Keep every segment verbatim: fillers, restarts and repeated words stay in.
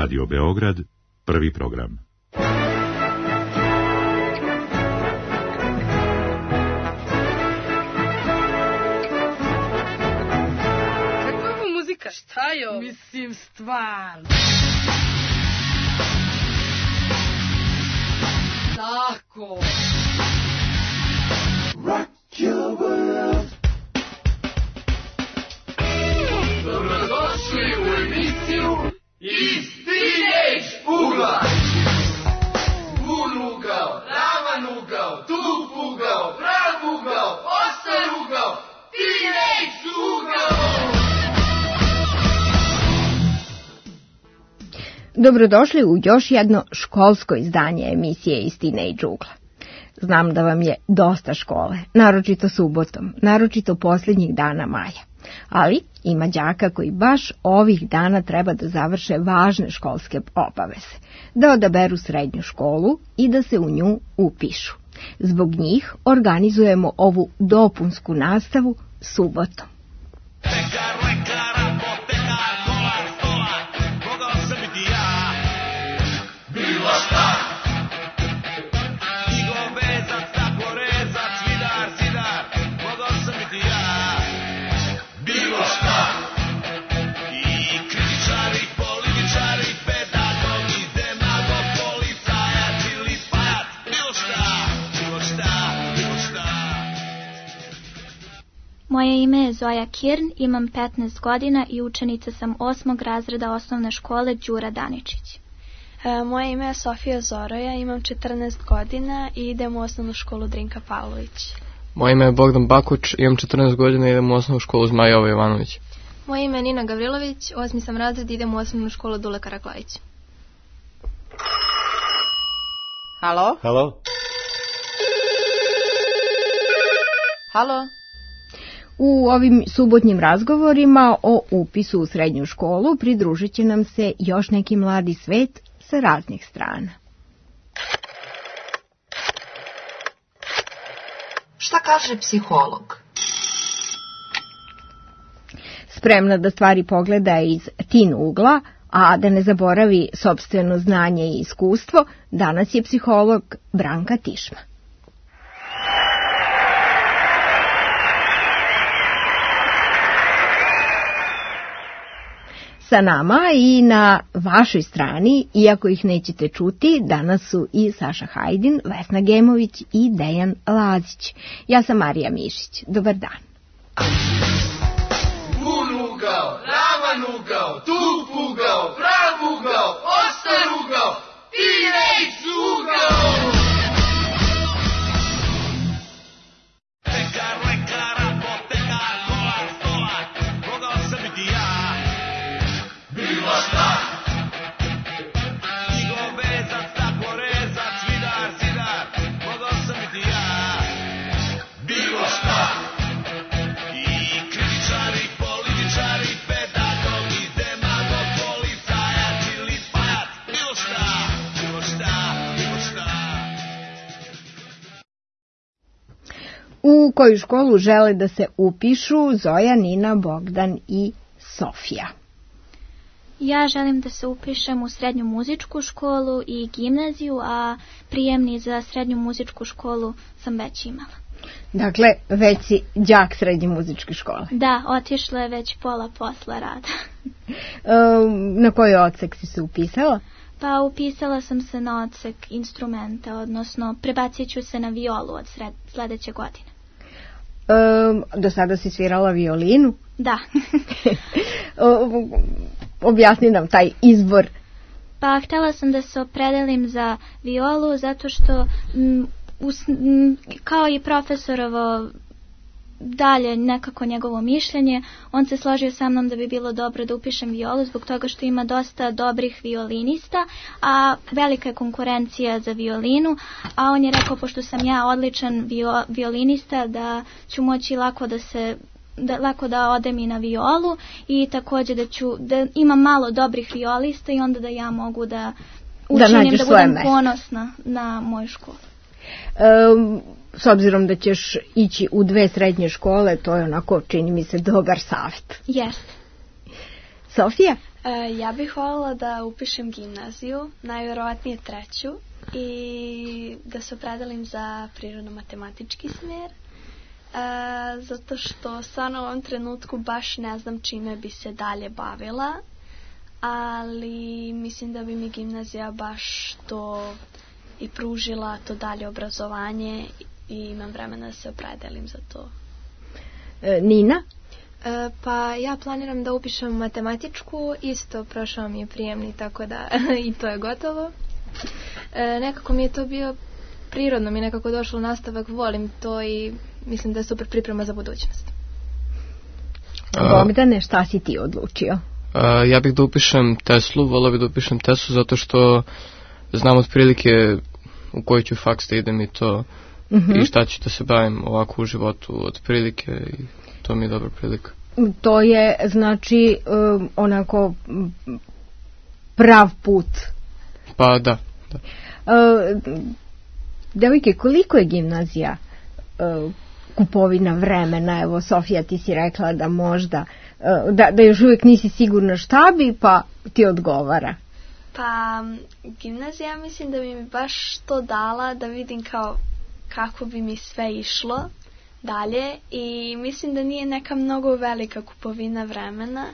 Radio Beograd, prvi program. Kakva je ovo muzika? Šta je ovo? Mislim, stvarno. Tako. Rock your world. Dobrodošli u emisiju Iz Teenage ugla. Pun ugao, ravan ugao, tup ugao, prav ugao, oštar ugao, Teenage ugao. Dobrodošli u još jedno školsko izdanje emisije Iz Teenage ugla. Znam da vam je dosta škole, naročito subotom, naročito posljednjih dana maja. Ali ima đaka koji baš ovih dana treba da završe važne školske obaveze, da odaberu srednju školu i da se u nju upišu. Zbog njih organizujemo ovu dopunsku nastavu subotom. Moje ime je Zoja Kirn, imam petnaest godina i učenica sam osmog razreda osnovne škole Đura Daničić. E, moje ime je Sofija Zoroja, imam četrnaest godina i idem u osnovnu školu Drinka Pavlović. Moje ime je Bogdan Bakuć, imam četrnaest godina i idem u osnovnu školu Zmaj Jovo Jovanović. Moje ime je Nina Gavrilović, osmi sam razred i idem u osnovnu školu Dule Karaklajić. Halo? Halo? Halo? U ovim subotnjim razgovorima o upisu u srednju školu pridružit će nam se još neki mladi svet sa raznih strana. Šta kaže psiholog? Spremna da stvari pogleda iz teen ugla, a da ne zaboravi sopstveno znanje i iskustvo, danas je psiholog Branka Tišma. Sa nama i na vašoj strani, iako ih nećete čuti, danas su i Saša Hajdin, Vesna Gemović i Dejan Lazić. Ja sam Marija Mišić. Dobar dan. Pun ugao, ravan ugao, tup ugao, prav ugao, oštar ugao, Teenage ugao. U koju školu žele da se upišu Zoja, Nina, Bogdan i Sofija? Ja želim da se upišem u srednju muzičku školu i gimnaziju, a prijemni za srednju muzičku školu sam već imala. Dakle, već si đak srednje muzičke škole. Da, otišla je već pola posla rada. Na koji odsek si se upisala? Pa upisala sam se na odsek instrumenta, odnosno prebacit ću se na violu od sred, sledeće godine. Um, do sada si svirala violinu? Da. Objasni nam taj izbor. Pa htjela sam da se opredelim za violu zato što m, us, m, kao i profesorovo dalje nekako njegovo mišljenje, on se složio sa mnom da bi bilo dobro da upišem violu zbog toga što ima dosta dobrih violinista, a velika je konkurencija za violinu, a on je rekao pošto sam ja odličan vio, violinista da ću moći lako da se da, lako da odem i na violu i također da ću da imam malo dobrih violista i onda da ja mogu da učinim da, da budem ponosna na moju školu. Um, s obzirom da ćeš ići u dve srednje škole, to je onako, čini mi se, dobar savjet. Jeste. Sofija? E, ja bih voljela da upišem gimnaziju, najvjerovatnije treću, i da se opredelim za prirodno-matematički smjer, e, zato što stvarno u ovom trenutku baš ne znam čime bi se dalje bavila, ali mislim da bi mi gimnazija baš to i pružila, to dalje obrazovanje, i imam vremena da se opredelim za to. E, Nina? E, pa ja planiram da upišem matematičku, isto prošao mi je prijemni, tako da i to je gotovo. E, nekako mi je to bio prirodno, mi je nekako došlo nastavak, volim to i mislim da je super priprema za budućnost. Bogdane, šta si ti odlučio? A, ja bih da upišem Teslu, volio bih da upišem Tesu zato što znam otprilike u koji ću faks da idem i to, uh-huh. i šta ću da se bavim ovako u životu otprilike, i to mi je dobra prilika. To je, znači, um, onako prav put. Pa da, da. Uh, devojke, koliko je gimnazija uh, kupovina vremena? Evo, Sofija, ti si rekla da možda, uh, da, da još uvijek nisi sigurna šta bi, pa ti odgovara. Pa, gimnazija mislim da bi mi baš to dala da vidim kao kako bi mi sve išlo dalje, i mislim da nije neka mnogo velika kupovina vremena.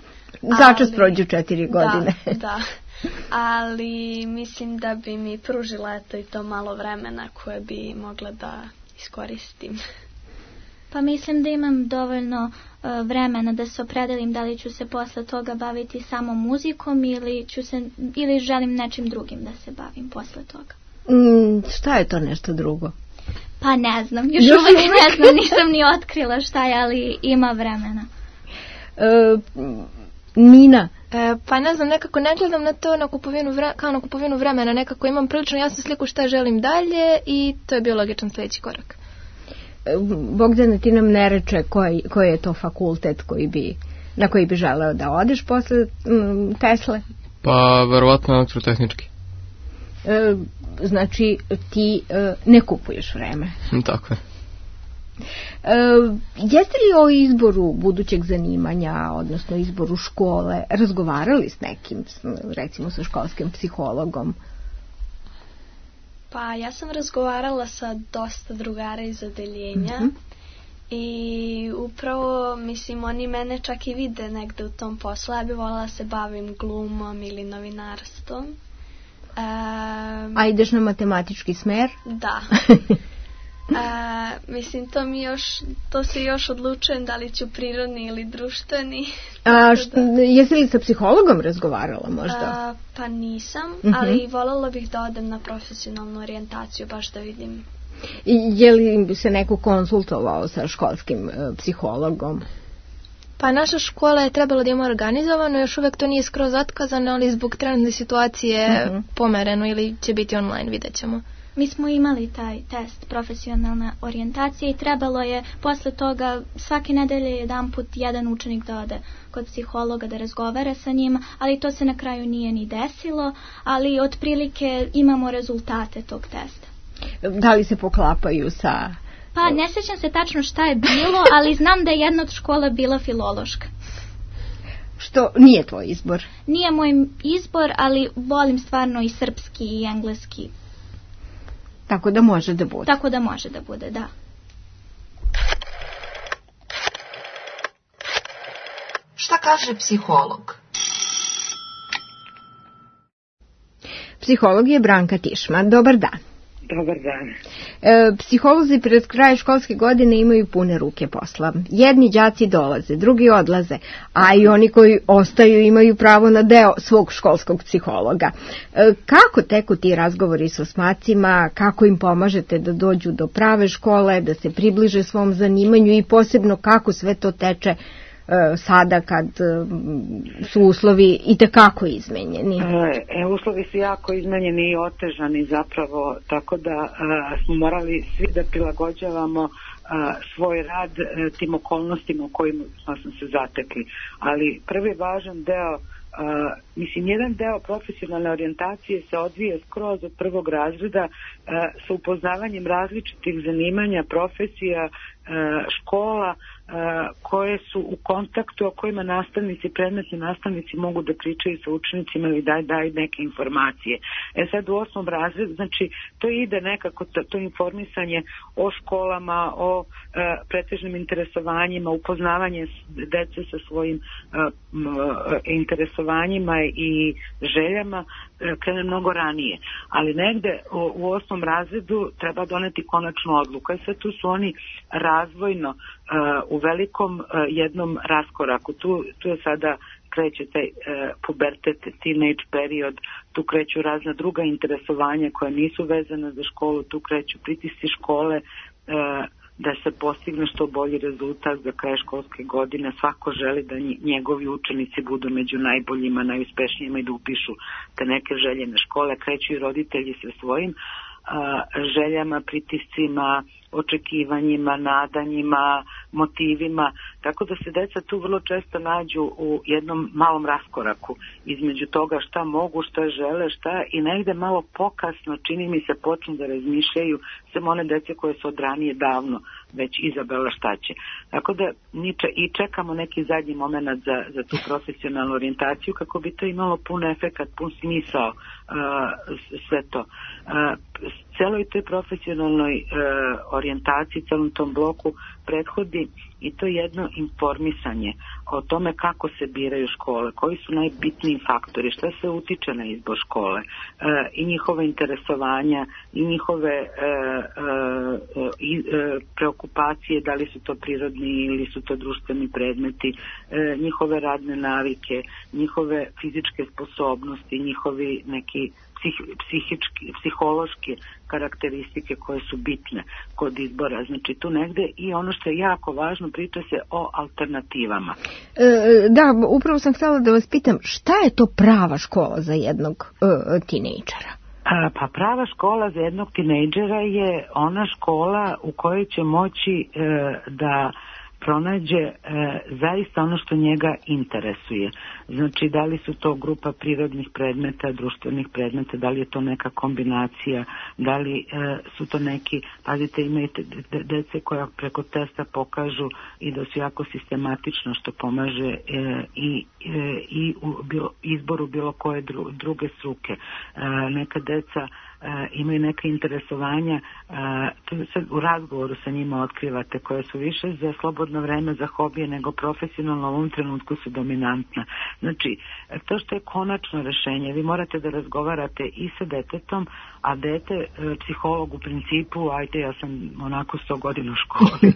Začas prođu četiri godine. Da, da. Ali mislim da bi mi pružila eto i to malo vremena koje bi mogla da iskoristim. Pa mislim da imam dovoljno uh, vremena da se opredelim da li ću se posle toga baviti samo muzikom ili, ću se, ili želim nečim drugim da se bavim posle toga. Mm, šta je to nešto drugo? Pa ne znam, još uvijek ne znam, nisam ni otkrila šta je, ali ima vremena. Uh, Nina? E, pa ne znam, nekako ne gledam na to na kupovinu vre, kao na kupovinu vremena, nekako imam prilično jasnu sliku šta želim dalje i to je bio logičan sljedeći korak. Bogdana, ti nam ne reče koji, koji je to fakultet koji bi, na koji bi želeo da odeš posle mm, Tesle? Pa verovatno elektrotehnički. E, znači ti e, ne kupuješ vreme. Tako je. E, jeste li o izboru budućeg zanimanja, odnosno izboru škole, razgovarali s nekim, recimo sa školskim psihologom? Pa ja sam razgovarala sa dosta drugara iz odeljenja, mm-hmm. i upravo, mislim, oni mene čak i vide negde u tom poslu. Ja bih voljela da se bavim glumom ili novinarstvom. Um, A ideš na matematički smer? Da. A, mislim, to mi još, to se još odlučujem da li ću prirodni ili društveni. A št, da... jesi li sa psihologom razgovarala možda? A, pa nisam, uh-huh. ali voljela bih da odem na profesionalnu orijentaciju, baš da vidim. I je li se neko konsultovao sa školskim uh, psihologom? Pa naša škola je trebala da ima organizovano, još uvijek to nije skroz otkazano, ali zbog trenutne situacije uh-huh. pomereno ili će biti online, vidjet ćemo. Mi smo imali taj test profesionalna orijentacija i trebalo je posle toga svake nedelje jedan put jedan učenik da ode kod psihologa da razgovara sa njima, ali to se na kraju nije ni desilo, ali otprilike imamo rezultate tog testa. Da li se poklapaju sa... Pa ne sjećam se tačno šta je bilo, ali znam da je jedna od škola bila filološka. Što nije tvoj izbor? Nije moj izbor, ali volim stvarno i srpski i engleski. Tako da može da bude. Tako da može da bude, da. Šta kaže psiholog? Psiholog je Branka Tišman. Dobar dan. Dobar dan. E, psiholozi pred kraj školske godine imaju pune ruke posla. Jedni đaci dolaze, drugi odlaze, a i oni koji ostaju imaju pravo na deo svog školskog psihologa. E, kako teku ti razgovori s osmacima, kako im pomažete da dođu do prave škole, da se približe svom zanimanju i posebno kako sve to teče sada kad su uslovi itekako izmenjeni? E, uslovi su jako izmenjeni i otežani zapravo, tako da a, smo morali svi da prilagođavamo a, svoj rad a, tim okolnostima u kojima smo se zatekli. Ali prvi važan deo, a, mislim, jedan deo profesionalne orijentacije se odvija skroz od prvog razreda a, sa upoznavanjem različitih zanimanja, profesija škola koje su u kontaktu, o kojima nastavnici, predmetni nastavnici mogu da pričaju sa učenicima ili daju daj neke informacije. E sad u osmom razredu, znači to ide nekako, to, to informisanje o školama, o e, pretežnim interesovanjima, upoznavanje dece sa svojim e, m, interesovanjima i željama e, krene mnogo ranije. Ali negde u, u osmom razredu treba doneti konačnu odluku. I sad tu su oni razvojno uh, u velikom uh, jednom raskoraku. Tu, tu je sada kreće taj uh, pubertet, teenage period, tu kreću razna druga interesovanja koja nisu vezana za školu, tu kreću pritisci škole uh, da se postigne što bolji rezultat za kraj školske godine. Svako želi da njegovi učenici budu među najboljima, najuspešnijima i da upišu te neke željene škole. Kreću i roditelji sa svojim željama, pritiscima, očekivanjima, nadanjima, motivima, tako da se deca tu vrlo često nađu u jednom malom raskoraku između toga šta mogu, šta žele, šta i negde malo pokasno, čini mi se, počnu da razmišljaju samo one dece koje su od ranije davno već izabrala šta će. Tako da i čekamo neki zadnji moment za, za tu profesionalnu orijentaciju kako bi to imalo pun efekat, pun smisao uh, sve to. Uh, celoj toj profesionalnoj uh, orijentaciji, celom tom bloku prethodi i to jedno informisanje o tome kako se biraju škole, koji su najbitniji faktori, šta se utiče na izbor škole, e, i njihove interesovanja, i njihove e, e, i, e, preokupacije, da li su to prirodni ili su to društveni predmeti, e, njihove radne navike, njihove fizičke sposobnosti, njihovi neki psih, psihički, psihološke karakteristike koje su bitne kod izbora. Znači tu negde i ono što je jako važno, priča se o alternativama. E, da, upravo sam htjela da vas pitam, šta je to prava škola za jednog e, tinejdžera? A, pa prava škola za jednog tinejdžera je ona škola u kojoj će moći e, da pronađe e, zaista ono što njega interesuje. Znači, da li su to grupa prirodnih predmeta, društvenih predmeta, da li je to neka kombinacija, da li e, su to neki, pazite, imaju dece koja preko testa pokažu i da su jako sistematično, što pomaže e, i, e, i u bilo, izboru bilo koje dru, druge struke. E, neka deca E, imaju neke interesovanja, e, sad u razgovoru sa njima otkrivate, koje su više za slobodno vreme, za hobije, nego profesionalno u ovom trenutku su dominantna. Znači, to što je konačno rešenje, vi morate da razgovarate i sa detetom, a dete, e, psiholog u principu, ajde, ja sam onako sto godina u školi,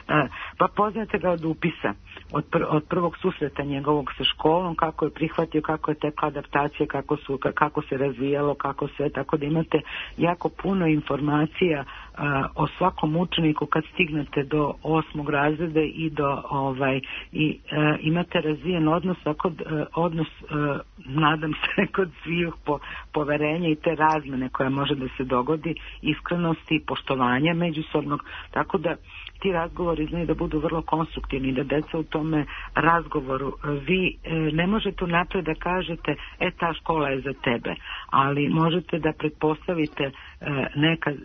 e, pa poznate ga od upisa, od, pr od prvog susreta njegovog sa školom, kako je prihvatio, kako je tekla adaptacija, kako, su, kako se razvijalo, kako sve, tako da imate jako puno informacija a, o svakom učeniku kad stignete do osmog razreda i do ovaj i a, imate razvijen odnos, tako a, odnos a, nadam se kod svih po, poverenja i te razmene koja može da se dogodi, iskrenosti i poštovanja međusobnog, tako da ti razgovori znaju da budu vrlo konstruktivni, da deca u tome razgovoru, vi e, ne možete unapred da kažete, e, ta škola je za tebe, ali možete da pretpostavite e, neka, e,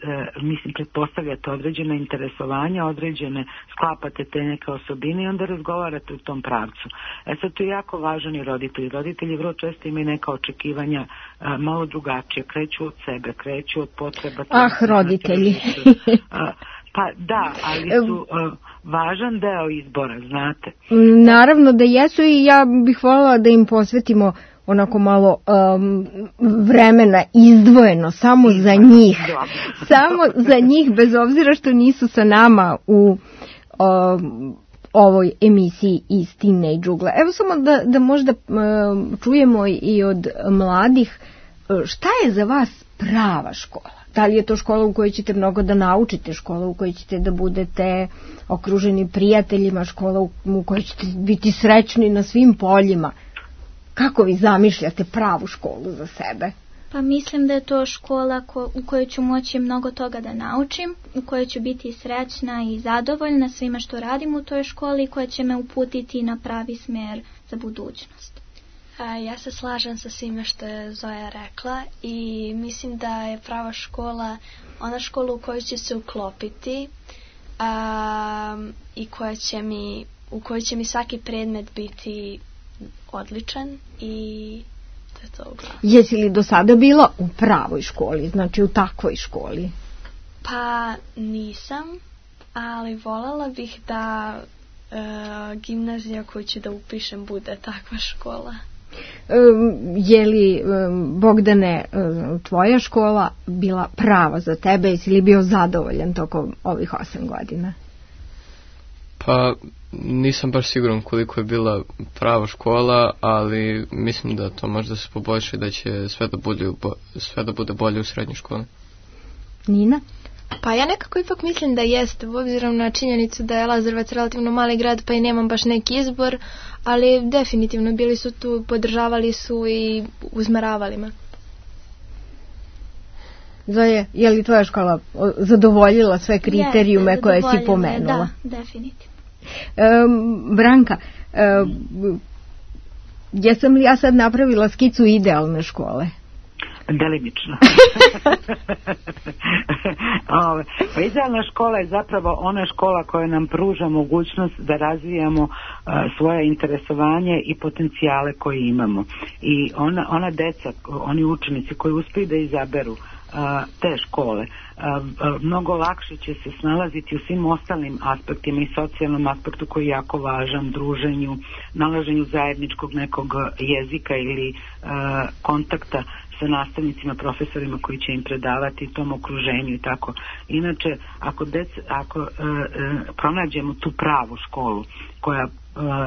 mislim, pretpostavljate određena interesovanja, određene, sklapate te neke osobine i onda razgovarate u tom pravcu. E sad, to je jako važan i roditelji. Roditelji vrlo često imaju neka očekivanja e, malo drugačije, kreću od sebe, kreću od potreba. Ah, roditelji. Pa da, ali su uh, važan deo izbora, znate. Naravno da jesu i ja bih voljela da im posvetimo onako malo um, vremena izdvojeno, samo za njih. Samo za njih, bez obzira što nisu sa nama u um, ovoj emisiji iz Teenage Ugla. Evo samo da, da možda um, čujemo i od mladih, šta je za vas prava škola? Da li je to škola u kojoj ćete mnogo da naučite, škola u kojoj ćete da budete okruženi prijateljima, škola u kojoj ćete biti srećni na svim poljima? Kako vi zamišljate pravu školu za sebe? Pa mislim da je to škola ko, u kojoj ću moći mnogo toga da naučim, u kojoj ću biti srećna i zadovoljna svime što radim u toj školi i koja će me uputiti na pravi smjer za budućnost. A, ja se slažem sa svime što je Zoja rekla i mislim da je prava škola ona škola u kojoj će se uklopiti, um, i koja će mi, u kojoj će mi svaki predmet biti odličan i to je to uglavnom. Jesi li do sada bila u pravoj školi, znači u takvoj školi? Pa nisam, ali voljela bih da e, gimnazija koju ću da upišem bude takva škola. Um, je li, um, Bogdane, um, tvoja škola bila prava za tebe? Jesi li bio zadovoljan tokom ovih osam godina? Pa nisam baš siguran koliko je bila prava škola, ali mislim da to može da se poboljša i da će sve da bude, sve da bude bolje u srednjoj školi. Nina? Pa ja nekako ipak mislim da jeste, obzirom na činjenicu da je Lazarevac relativno mali grad, pa i nemam baš neki izbor, ali definitivno bili su tu, podržavali su i uzmeravali me. Zoje, je li tvoja škola zadovoljila sve kriterijume Jeste, koje si pomenula? Da, definitivno. Um, Branka, um, jesam li ja sad napravila skicu idealne škole? Delimično. Ove, pa idealna škola je zapravo ona škola koja nam pruža mogućnost da razvijamo uh, svoje interesovanje i potencijale koje imamo. I ona, ona deca, oni učenici koji uspiju da izaberu uh, te škole, uh, uh, mnogo lakše će se snalaziti u svim ostalim aspektima i socijalnom aspektu koji je jako važan, druženju, nalaženju zajedničkog nekog jezika ili uh, kontakta sa nastavnicima, profesorima koji će im predavati tom okruženju i tako. Inače, ako, dec, ako e, e, pronađemo tu pravu školu koja e,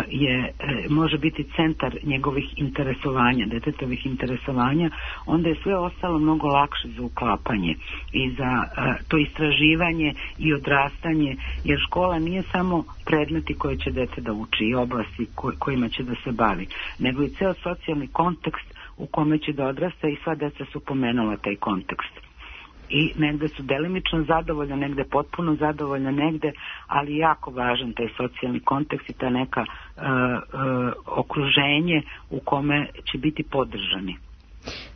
je, e, može biti centar njegovih interesovanja, detetovih interesovanja, onda je sve ostalo mnogo lakše za uklapanje i za e, to istraživanje i odrastanje, jer škola nije samo predmeti koje će dete da uči i oblasti koj, kojima će da se bavi, nego i ceo socijalni kontekst u kome će da odrasta i sva deca su pomenula taj kontekst. I negde su delimično zadovoljna, negde potpuno zadovoljna, negde, ali jako važan taj socijalni kontekst i ta neka uh, uh, okruženje u kome će biti podržani.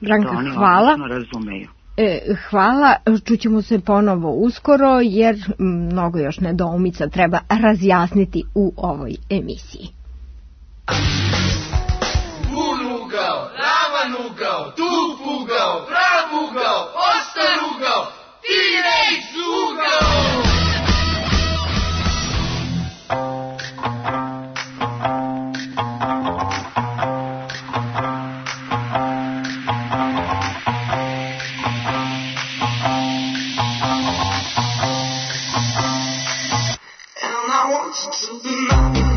Branka, to oni hvala. Razumeju. E, hvala, čućemo se ponovo uskoro, jer mnogo još nedoumica treba razjasniti u ovoj emisiji. Ugao, ravan ugao, tup ugao, prav ugao, ostar ugao, T-Rex ugao! And I want you to be mine.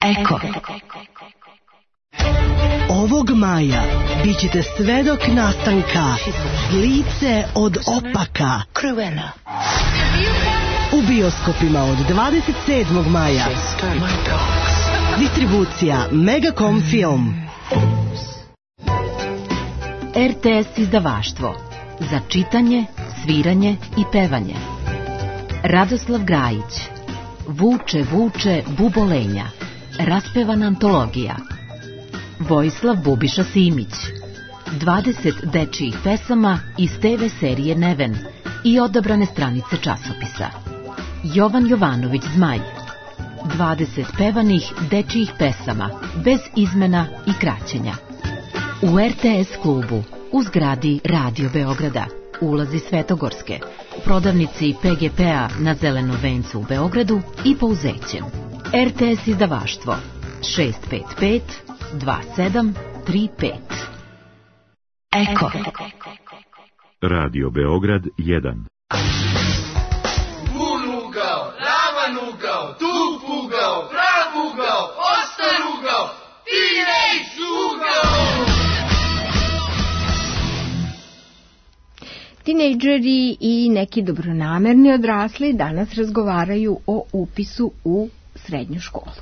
Eko. Ovog maja bit ćete svedok nastanka Lice od opaka Crvena u bioskopima od dvadeset sedmog maja. Distribucija Megacom Film. R T S izdavaštvo za čitanje, sviranje i pevanje. Radoslav Grajić. Vuče, vuče, bubolenja. Raspevana antologija. Vojislav Bubiša Simić. dvadeset dečijih pesama iz te ve serije Neven i odabrane stranice časopisa. Jovan Jovanović Zmaj. dvadeset pevanih dečijih pesama, bez izmena i kraćenja. U R T S klubu, u zgradi Radio Beograda, ulazi Svetogorske, u prodavnici P G P-a na Zelenom vencu u Beogradu i Pouzećem. R T S izdavaštvo šest pet pet dva sedam tri pet. Eko. Radio Beograd jedan. Bun ugao, ravan ugao, tup ugao, prav ugao, ostar ugao, T-Rex ugao! Tinejdžeri i neki dobronamerni odrasli danas razgovaraju o upisu u srednju školu.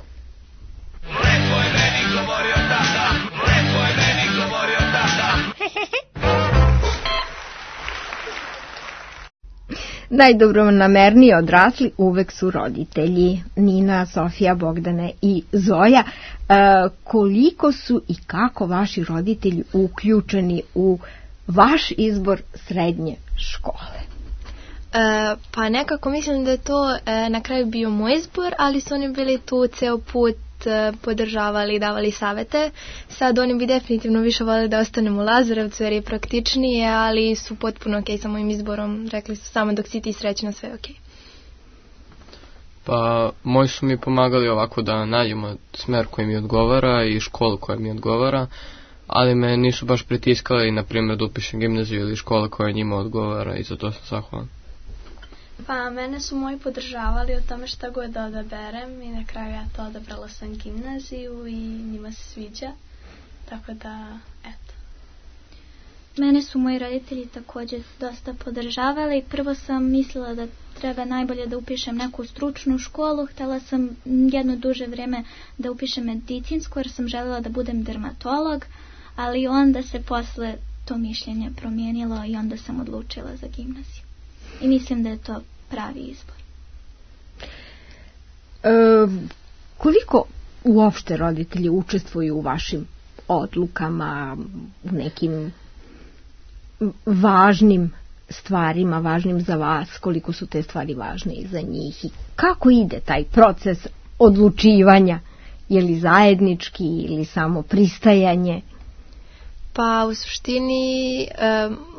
Lepo je meni govorio tata, lepo je meni govorio tata. Najdobronamerniji odrasli uvek su roditelji. Nina, Sofija, Bogdane i Zoja. E, koliko su i kako vaši roditelji uključeni u vaš izbor srednje škole? E, pa nekako mislim da je to e, na kraju bio moj izbor, ali su oni bili tu ceo put, e, podržavali i davali savete. Sad oni bi definitivno više voljeli da ostanem u Lazarevcu jer je praktičnije, ali su potpuno ok sa mojim izborom. Rekli su samo dok si ti srećna, sve ok. Pa moji su mi pomagali ovako da nađemo smer koji mi odgovara i školu koja mi odgovara, ali me nisu baš pritiskali, na primjer, da upišem gimnaziju ili škola koja njima odgovara i za to sam zahvalan. Pa mene su moji podržavali o tome šta god da odaberem i na kraju ja to odabrala sam gimnaziju i njima se sviđa, tako da, eto. Mene su moji roditelji također dosta podržavali. Prvo sam mislila da treba najbolje da upišem neku stručnu školu. Htjela sam jedno duže vrijeme da upišem medicinsku jer sam željela da budem dermatolog, ali onda se posle to mišljenje promijenilo i onda sam odlučila za gimnaziju. I mislim da je to pravi izbor. E, koliko uopšte roditelji učestvuju u vašim odlukama, u nekim važnim stvarima, važnim za vas, koliko su te stvari važne i za njih i kako ide taj proces odlučivanja, je li zajednički ili samo pristajanje? Pa u suštini e,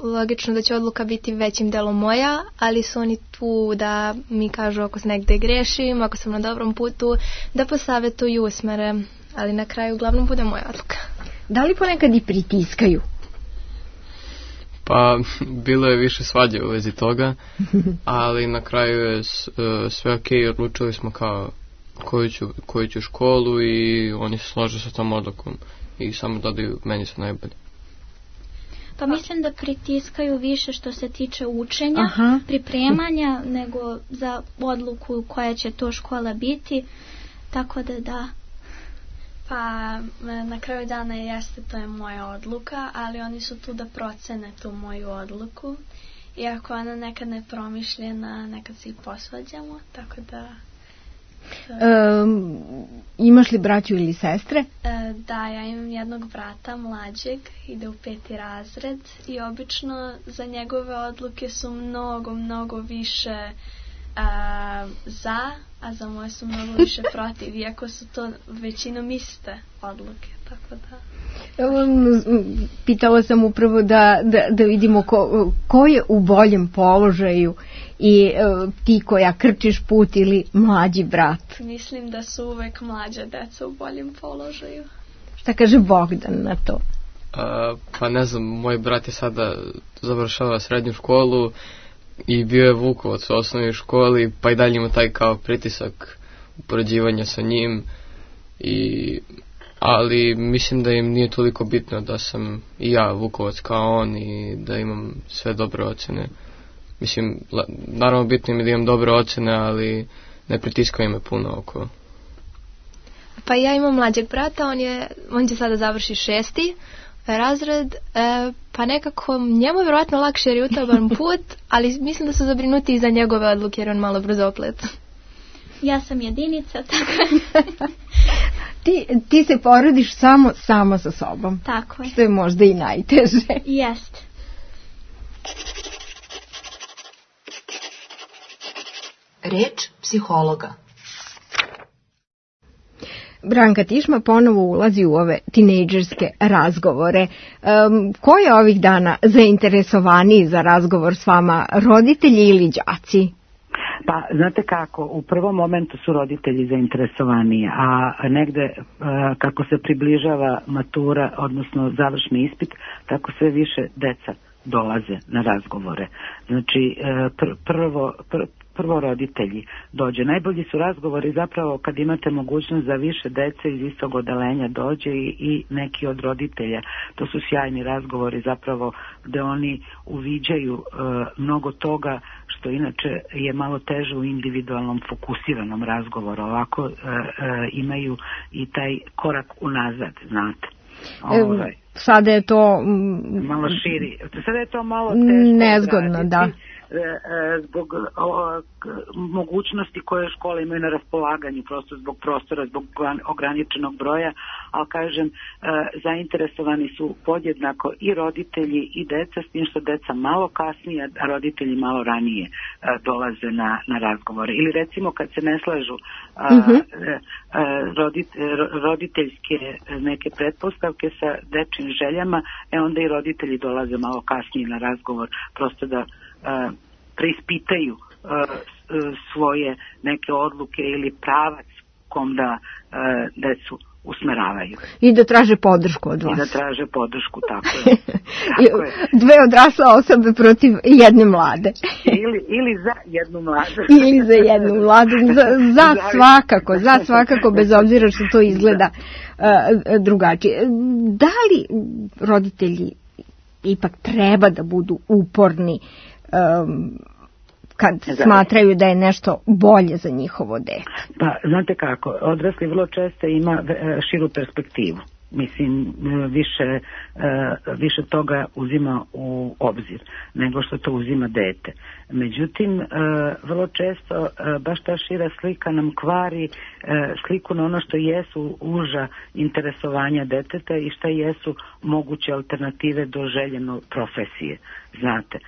logično da će odluka biti većim delom moja, ali su oni tu da mi kažu ako se negde grešim, ako sam na dobrom putu, da posavetuju, usmere, ali na kraju uglavnom bude moja odluka. Da li ponekad i pritiskaju? Pa bilo je više svađe u vezi toga, ali na kraju je sve ok, odlučili smo kao koju ću, koju ću školu i oni se slože sa tom odlukom i samo dodaju meni se najbolje. Pa mislim da pritiskaju više što se tiče učenja, Aha. pripremanja, nego za odluku koja će to škola biti, tako da da. Pa na kraju dana jeste, to je moja odluka, ali oni su tu da procene tu moju odluku. I ako ona nekad ne promišljena, nekad se i posvađamo, tako da... Um, imaš li braću ili sestre? E, da, ja imam jednog brata mlađeg, ide u peti razred i obično za njegove odluke su mnogo, mnogo više A, za, a za moje su mnogo više protiv, iako su to većinom iste odluke, tako da... Pitala sam upravo da, da, da vidimo ko, ko je u boljem položaju i ti koja krčiš put ili mlađi brat. Mislim da su uvek mlađa deca u boljem položaju. Šta kaže Bogdan na to? A, pa ne znam, moj brat je sada završava srednju školu i bio je Vukovac u osnovnoj školi, pa i dalje ima taj kao pritisak upoređivanja sa njim, i, ali mislim da im nije toliko bitno da sam i ja Vukovac kao on i da imam sve dobre ocene. Mislim, naravno bitno mi da imam dobre ocene, ali ne pritiskaju me puno oko. Pa ja imam mlađeg brata, on, je, on će sada završi šesti razred, e, pa nekako njemu je vjerojatno lakše jer je utaban put, ali mislim da su zabrinuti i za njegove odluke jer on malo brzoplet. Ja sam jedinica, tako. ti, ti se porodiš samo, samo sa sobom. Tako je. Što je možda i najteže. Jest. Reč psihologa. Branka Tišma ponovo ulazi u ove tinejdžerske razgovore. Um, ko je ovih dana zainteresovaniji za razgovor s vama, roditelji ili đaci? Pa, znate kako, u prvom momentu su roditelji zainteresovaniji, a negde kako se približava matura, odnosno završni ispit, tako sve više deca dolaze na razgovore. Znači, pr- prvo... Pr- prvo roditelji dođe. Najbolji su razgovori zapravo kad imate mogućnost da više dece iz istog odeljenja dođe i, i neki od roditelja. To su sjajni razgovori zapravo gde oni uviđaju e, mnogo toga što inače je malo teže u individualnom fokusiranom razgovoru. Ovako e, e, imaju i taj korak unazad, znate. Ovaj. E, sada je to m, malo širi. Sada je to malo teško nezgodno, odraditi. Da. Zbog o, mogućnosti koje škole imaju na raspolaganju, prosto zbog prostora, zbog ograničenog broja, ali kažem, e, zainteresovani su podjednako i roditelji i deca, s tim što deca malo kasnije, a roditelji malo ranije e, dolaze na, na razgovore. Ili recimo kad se ne slažu a, uh-huh. e, rodit, roditeljske neke pretpostavke sa dečjim željama, e onda i roditelji dolaze malo kasnije na razgovor, prosto da Uh, preispitaju uh, svoje neke odluke ili pravac kom da uh, decu usmeravaju. I da traže podršku od vas. I da traže podršku, tako je. Tako je. Dve odrasle osobe protiv jedne mlade. ili, ili za jednu mladu. ili za jednu mladu. Za, za svakako, za svakako, bez obzira što to izgleda uh, drugačije. Da li roditelji ipak treba da budu uporni Um, kad da. smatraju da je nešto bolje za njihovo dete? Pa, znate kako, odrasli vrlo često ima širu perspektivu. Mislim, više, više toga uzima u obzir nego što to uzima dete. Međutim, vrlo često baš ta šira slika nam kvari sliku na ono što jesu uža interesovanja deteta i šta jesu moguće alternative do željeno profesije. Znate,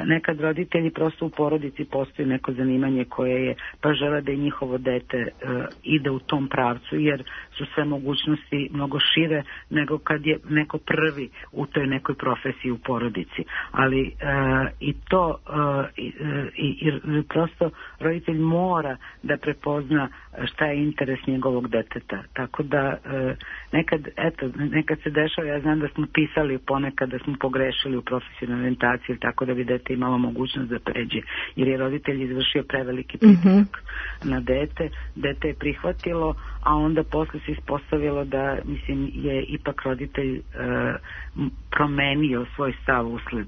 nekad roditelji prosto u porodici postoji neko zanimanje koje je, pa žele da i njihovo dete ide u tom pravcu, jer su sve mogućnosti mnogo šire nego kad je neko prvi u toj nekoj profesiji u porodici. Ali e, i to e, i, i prosto roditelj mora da prepozna šta je interes njegovog deteta. Tako da e, nekad, eto, nekad se dešava, ja znam da smo pisali ponekad da smo pogrešili u profesionalnoj orijentaciji, tako da bi dete imalo mogućnost da pređe, jer je roditelj izvršio preveliki pritisak mm-hmm. na dete, dete je prihvatilo, a onda posle se ispostavilo da, mislim, je ipak roditelj e, promenio svoj stav usled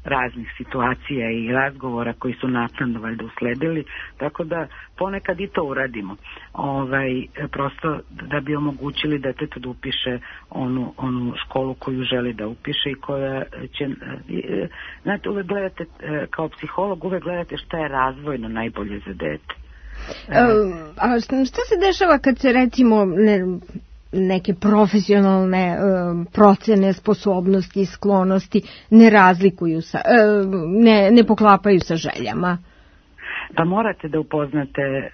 raznih situacija i razgovora koji su naknadno valjda usledili, tako da ponekad i to uradimo. Ovaj, prosto da bi omogućili detetu da upiše onu, onu školu koju želi da upiše i koja će, znate, uvek gledate, kao psiholog, uvek gledate šta je razvojno najbolje za dete. A šta se dešava kad se recimo ne, neke profesionalne um, procene sposobnosti i sklonosti ne razlikuju sa, um, ne, ne poklapaju sa željama? Pa morate da upoznate e,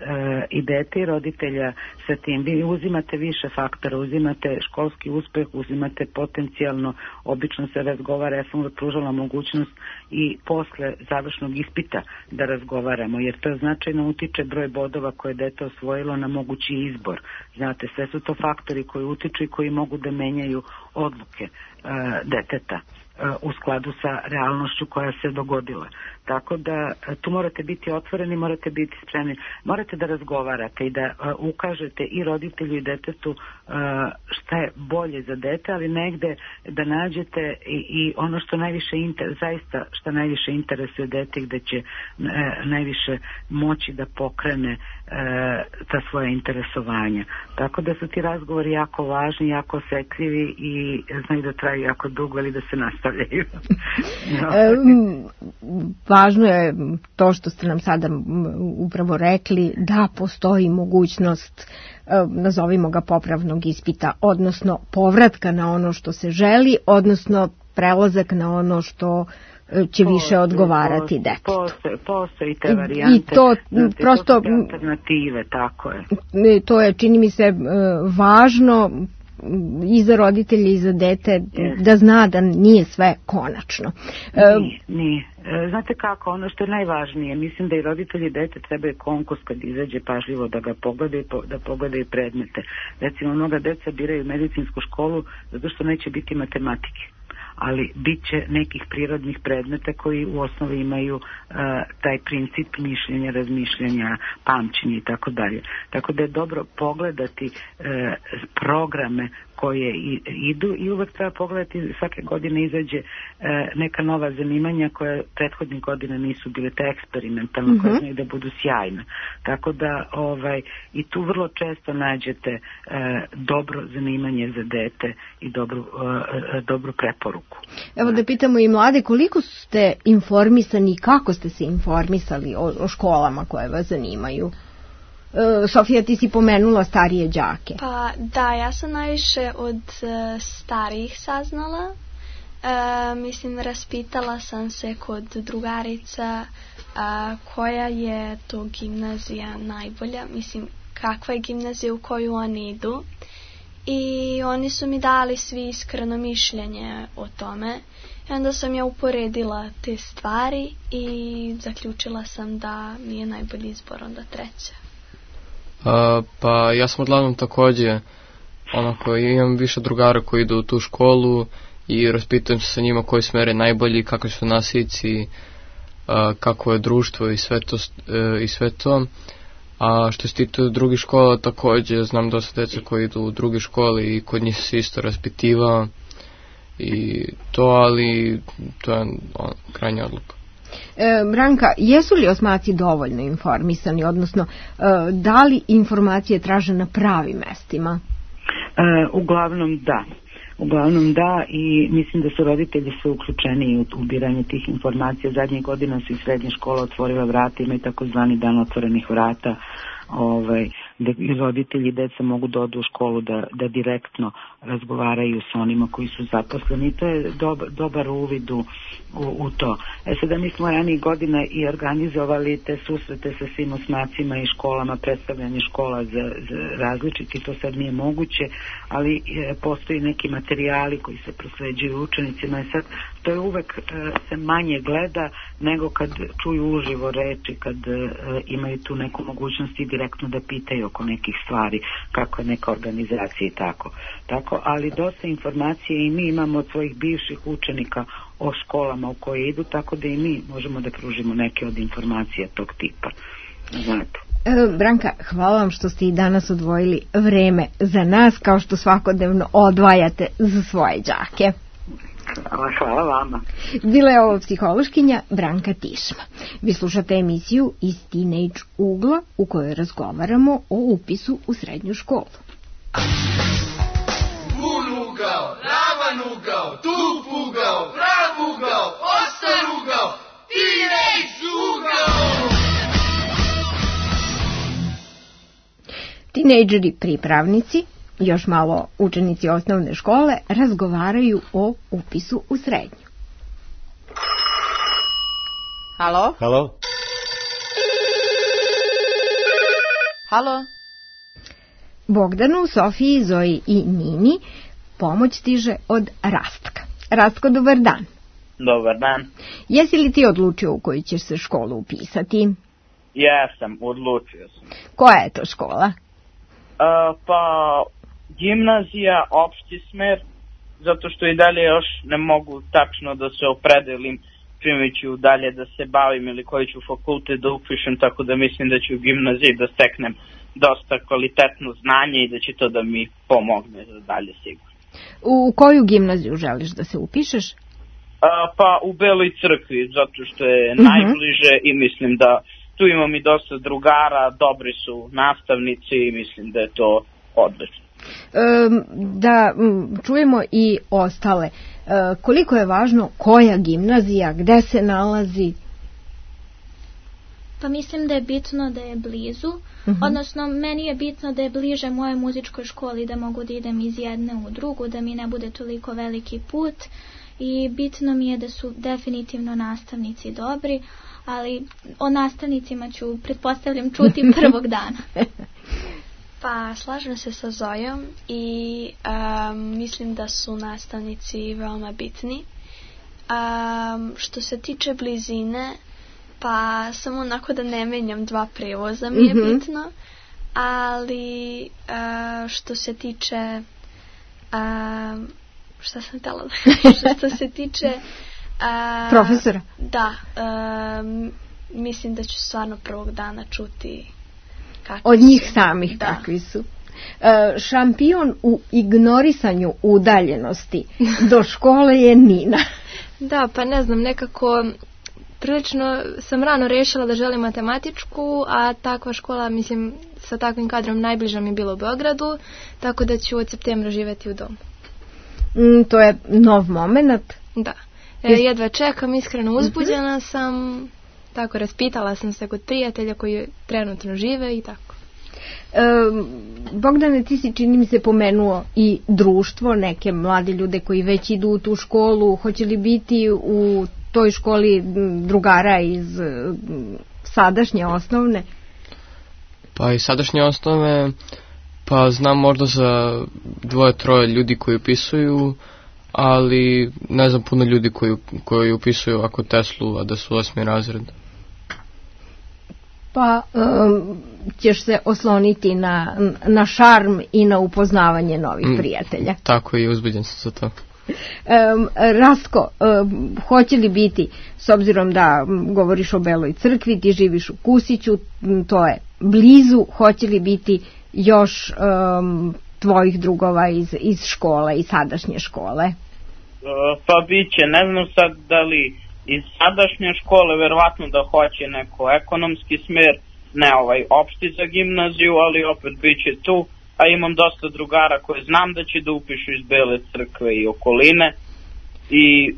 i dete i roditelja sa tim. Vi uzimate više faktora, uzimate školski uspeh, uzimate potencijalno, obično se razgovara, ja sam pružala mogućnost i posle završnog ispita da razgovaramo, jer to značajno utiče broj bodova koje dete osvojilo na mogući izbor. Znate, sve su to faktori koji utiču i koji mogu da menjaju odluke e, deteta u skladu sa realnošću koja se dogodila. Tako da tu morate biti otvoreni, morate biti spremni, morate da razgovarate i da uh, ukažete i roditelju i detetu uh, šta je bolje za dete, ali negde da nađete i, i ono što najviše inter, zaista što najviše interesuje dete, gde će uh, najviše moći da pokrene uh, ta svoja interesovanja. Tako da su ti razgovori jako važni, jako osetljivi i znaju da traju jako dugo ili da se nastavljaju. no. Važno je to što ste nam sada upravo rekli, da postoji mogućnost, nazovimo ga popravnog ispita, odnosno povratka na ono što se želi, odnosno prelazak na ono što će više postoji, odgovarati detetu. Postoje, postoje i te varijante, i to, znate, prosto, to alternative, tako je. To je, čini mi se, važno i za roditelje i za dete yes. da zna da nije sve konačno. Nije, nije. Znate kako, ono što je najvažnije, mislim da i roditelji i dete trebaju konkurs kad izađe pažljivo da ga pogledaju, da pogledaju predmete. Recimo, mnoga deca biraju medicinsku školu zato što neće biti matematike, ali bit će nekih prirodnih predmeta koji u osnovi imaju uh, taj princip mišljenja, razmišljanja, pamćenja i tako dalje. Tako da je dobro pogledati uh, programe koje i, idu i uvek treba pogledati, svake godine izađe e, neka nova zanimanja koje prethodnih godina nisu bile te eksperimentalne, mm-hmm. koje znaju da budu sjajne. Tako da ovaj, i tu vrlo često nađete e, dobro zanimanje za dete i dobru, e, dobru preporuku. Evo da pitamo i mlade, koliko ste informisani i kako ste se informisali o, o školama koje vas zanimaju? Sofija, ti si pomenula starije đake. Pa da, ja sam najviše od uh, starijih saznala. Uh, mislim, raspitala sam se kod drugarica uh, koja je to gimnazija najbolja. Mislim, kakva je gimnazija u koju oni idu. I oni su mi dali svi iskreno mišljenje o tome. I onda sam ja uporedila te stvari i zaključila sam da mi je najbolji izbor onda treća. Uh, pa ja sam uglavnom takođe onako, imam više drugara koji idu u tu školu i raspitujem se sa njima koji smer je najbolji, kakvi su nasici, uh, kako je društvo i sve to, uh, i sve to. A što se tiče drugih škola, takođe znam dosta deca koji idu u druge škole i kod njih se isto raspitivao i to, ali to je on, krajnja odluka. E, Branka, jesu li osmaci dovoljno informisani, odnosno e, da li informacije traže na pravim mestima? E, uglavnom da. Uglavnom da, i mislim da su roditelji sve uključeni u ubiranje tih informacija. Zadnjih godina su i srednje škola otvorila vrata, ima i takozvani dan otvorenih vrata, ovaj, da i roditelji i deca mogu da odu u školu da, da direktno razgovaraju sa onima koji su zaposleni. I to je dob, dobar uvid u, u, u to. E sada mi smo ranijih godina i organizovali te susrete sa svim osmacima i školama, predstavljanje škola za, za različiti, to sad nije moguće, ali e, postoji neki materijali koji se prosleđuju učenicima. E sad, to je uvek e, se manje gleda nego kad čuju uživo reči, kad e, imaju tu neku mogućnost i direktno da pitaju oko nekih stvari, kako je neka organizacija i tako. Tako, ali dosta informacije i mi imamo od svojih bivših učenika o školama u koje idu, tako da i mi možemo da pružimo neke od informacija tog tipa. Znate. Branka, hvala vam što ste i danas odvojili vreme za nas, kao što svakodnevno odvajate za svoje đake. Hvala, hvala vama. Bila je ovo psihološkinja Branka Tišma. Vi slušate emisiju iz Teenage ugla u kojoj razgovaramo o upisu u srednju školu. Bun ugao, ravan ugao, tup ugao, prav ugao, ostar ugao, Teenage ugao! Tinejdžeri pripravnici, još malo učenici osnovne škole, razgovaraju o upisu u srednju. Halo? Halo? Halo? Bogdanu, Sofiji, Zoji i Nini pomoć stiže od Rastka. Rastko, dobar dan. Dobar dan. Jesi li ti odlučio u koju ćeš se školu upisati? Jesam, odlučio sam. Koja je to škola? Uh, pa, gimnazija, opšti smer, zato što i dalje još ne mogu tačno da se opredelim čime ću dalje da se bavim ili koji ću fakultet da upišem, tako da mislim da ću u gimnaziji da steknem dosta kvalitetno znanje i da će to da mi pomogne za dalje sigurno. U koju gimnaziju želiš da se upišeš? A, pa u Beloj Crkvi, zato što je uh-huh. najbliže i mislim da tu imam i dosta drugara, dobri su nastavnici i mislim da je to odlično. E, da čujemo i ostale. E, koliko je važno koja gimnazija, gde se nalazi? Pa mislim da je bitno da je blizu, uh-huh. odnosno meni je bitno da je bliže mojoj muzičkoj školi, da mogu da idem iz jedne u drugu, da mi ne bude toliko veliki put i bitno mi je da su definitivno nastavnici dobri, ali o nastavnicima ću, pretpostavljam, čuti prvog dana. Pa slažem se sa Zojom i um, mislim da su nastavnici veoma bitni. Um, što se tiče blizine, pa samo onako da ne menjam dva prevoza mi je mm-hmm. bitno, ali uh, što se tiče uh, šta sam htjela da kažem, što se tiče uh, profesora, da, um, mislim da ću stvarno prvog dana čuti od njih su. samih da. kakvi su. Uh, šampion u ignorisanju udaljenosti do škole je Nina. Da, pa ne znam, nekako prilično sam rano rešila da želim matematičku, a takva škola, mislim, sa takvim kadrom najbliža mi je bilo u Beogradu, tako da ću od septembra živjeti u domu. Mm, to je nov moment. Da. E, jedva čekam, iskreno uzbuđena mm-hmm. sam, tako raspitala sam se kod prijatelja koji trenutno žive i tako. E, Bogdane, ti si, čini mi se, pomenuo i društvo, neke mlade ljude koji već idu u tu školu. Hoće li biti u toj školi drugara iz sadašnje osnovne? Pa i sadašnje osnovne, pa znam možda za dvoje, troje ljudi koji upisuju, ali ne znam puno ljudi koji, koji upisuju ako Teslu, a da su osmi razred. Pa um, ćeš se osloniti na, na šarm i na upoznavanje novih mm, prijatelja. Tako i uzbuđen sam za to. Um, Rastko, um, hoće li biti, s obzirom da um, govoriš o Beloj Crkvi, ti živiš u Kusiću, m, to je blizu, hoće li biti još um, tvojih drugova iz, iz škole, iz sadašnje škole? Uh, pa biće, ne znam sad da li iz sadašnje škole, verovatno da hoće neko ekonomski smer, ne ovaj opšti za gimnaziju, ali opet biće tu, a imam dosta drugara koje znam da će da upišu iz Bele Crkve i okoline i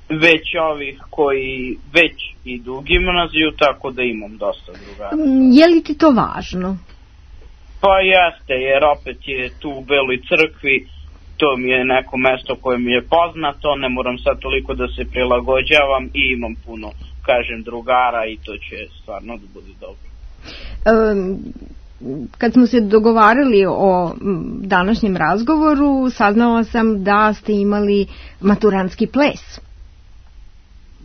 već ovih koji već idu u gimnaziju, tako da imam dosta drugara. Je li ti to važno? Pa jeste, jer opet je tu u Beloj Crkvi, to mi je neko mesto koje mi je poznato, ne moram sad toliko da se prilagođavam i imam puno, kažem, drugara i to će stvarno da bude dobro. Um, kad smo se dogovarali o današnjem razgovoru, saznala sam da ste imali maturantski ples.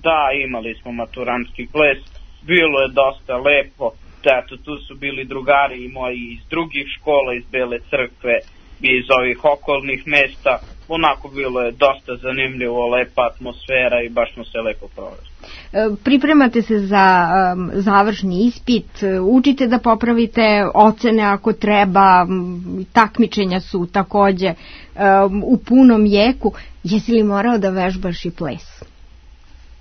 Da, imali smo maturantski ples, bilo je dosta lepo, eto, tu su bili drugari i moji iz drugih škola, iz Bele Crkve i iz ovih okolnih mesta, onako bilo je dosta zanimljivo, lepa atmosfera i baš smo se lepo proveli. Pripremate se za um, završni ispit, učite da popravite ocene ako treba, takmičenja su takođe um, u punom jeku. Jesi li morao da vežbaš i ples?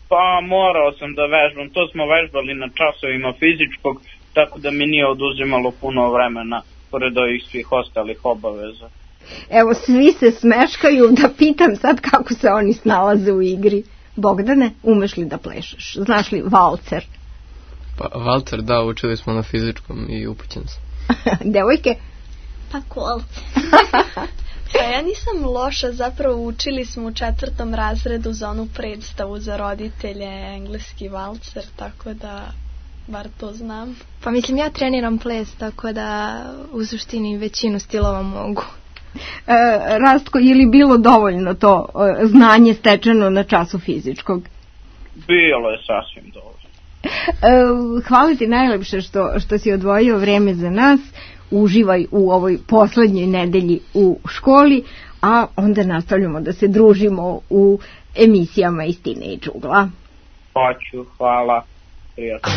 Pa morao sam da vežbam, to smo vežbali na časovima fizičkog, tako da mi nije oduzimalo puno vremena pored ovih svih ostalih obaveza. Evo, svi se smeškaju, da pitam sad kako se oni snalaze u igri. Bogdane, umeš li da plešeš? Znaš li valcer? Pa valcer, da, učili smo na fizičkom i upućen sam. Devojke? Pa kolce. Pa ja nisam loša, zapravo učili smo u četvrtom razredu za onu predstavu za roditelje, engleski valcer, tako da bar to znam. Pa mislim, ja treniram ples, tako da u suštini većinu stilova mogu. E, Rastko, je li bilo dovoljno to e, znanje stečeno na času fizičkog? Bilo je sasvim dovoljno. E, hvala ti najlepše što, što si odvojio vreme za nas. Uživaj u ovoj poslednjoj nedelji u školi, a onda nastavljamo da se družimo u emisijama iz Teenage ugla. Hoću, hvala, prijatno.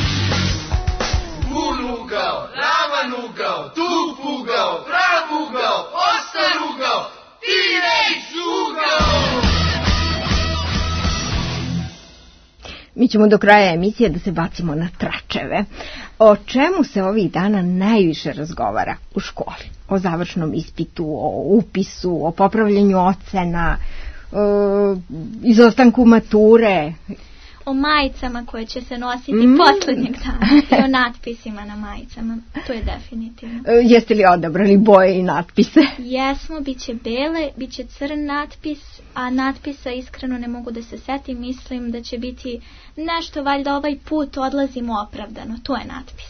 Pun ugao, ravan ugao, tug ugao, prav ugao, ostar ugao, Teenage ugao! Mi ćemo do kraja emisije da se bacimo na tračeve. O čemu se ovih dana najviše razgovara u školi? O završnom ispitu, o upisu, o popravljanju ocena, o izostanku mature. O majicama koje će se nositi mm. poslednjeg dana i o natpisima na majicama. To je definitivno. E, jeste li odabrali boje i natpise? Jesmo, bit će bele, bit će crn natpis, a natpisa iskreno ne mogu da se setim. Mislim da će biti nešto, valjda ovaj put odlazimo opravdano. To je natpis.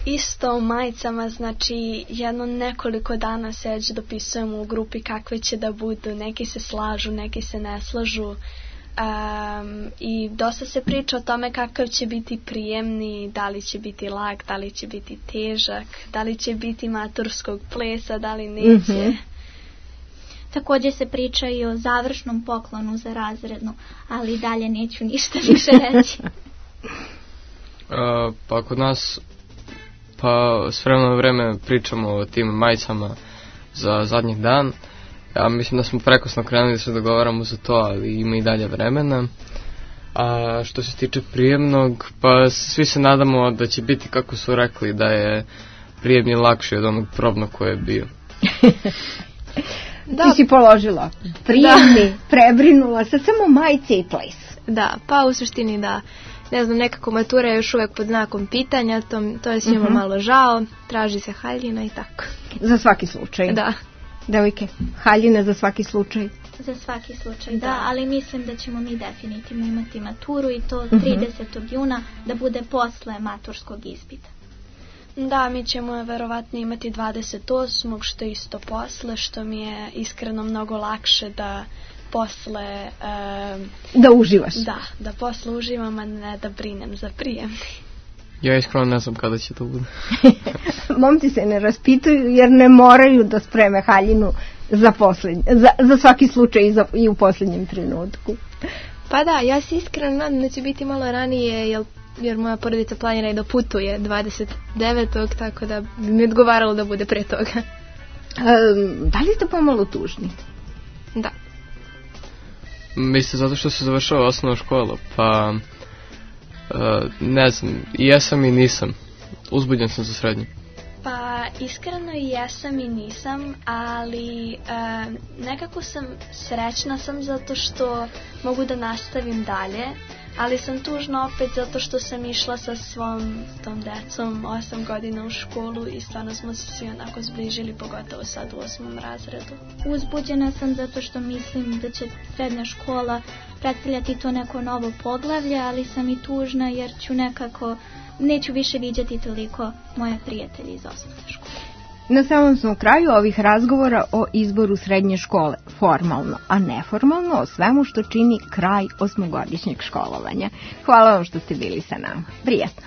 Isto u majicama, znači jedno nekoliko dana se već dopisujemo u grupi kakve će da budu. Neki se slažu, neki se ne slažu. Um, i dosta se priča o tome kakav će biti prijemni, da li će biti lag, da li će biti težak, da li će biti maturskog plesa, da li neće. Mm-hmm. Također se priča i o završnom poklonu za razrednu, ali dalje neću ništa više reći. uh, pa kod nas pa s vremena na vreme pričamo o tim majicama za zadnji dan. Ja mislim da smo prekosno krenuli da se dogovaramo za to, ali ima i dalje vremena. A što se tiče prijemnog, pa svi se nadamo da će biti, kako su rekli, da je prijemni lakši od onog probnog koje je bio. Da. Ti si položila prijemni, da. Prebrinula, sad samo majice i ples. Da, pa u suštini da. Ne znam, nekako matura je još uvek pod znakom pitanja, to, to je svima uh-huh. malo žao, traži se haljina i tako. Za svaki slučaj. Da. Devojke, haljine za svaki slučaj. Za svaki slučaj, da, da, ali mislim da ćemo mi definitivno imati maturu i to tridesetog juna da bude posle maturskog ispita. Da, mi ćemo verovatno imati dvadeset osmog što isto posle, što mi je iskreno mnogo lakše da posle... Um, da uživaš. Da, da posle uživam, a ne da brinem za prijemni. Ja iskreno ne znam kada će to bude. Momci se ne raspituju jer ne moraju da spreme haljinu za, poslednj, za, za svaki slučaj i, za, i u posljednjem trenutku. Pa da, ja se iskreno nadam da će biti malo ranije jer, jer moja porodica planira i da putuje dvadeset devetog tako da bi mi odgovaralo da bude pre toga. Um, da li ste pomalo tužni? Da. Mislim, zato što se završava osnovna škola, pa... Uh, ne znam, i jesam i nisam. Uzbuđen sam za srednje. Pa iskreno i jesam i nisam, ali uh, nekako sam srećna sam zato što mogu da nastavim dalje, ali sam tužna opet zato što sam išla sa svom tom decom osam godina u školu i stvarno smo se svi onako zbližili, pogotovo sad u osmom razredu. Uzbuđena sam zato što mislim da će srednja škola predstavljati to neko novo poglavlje, ali sam i tužna jer ću nekako, neću više viđati toliko moje prijatelje iz osnovne škole. Na samom smo kraju ovih razgovora o izboru srednje škole, formalno, a neformalno o svemu što čini kraj osmogodišnjeg školovanja. Hvala vam što ste bili sa nama. Prijatno.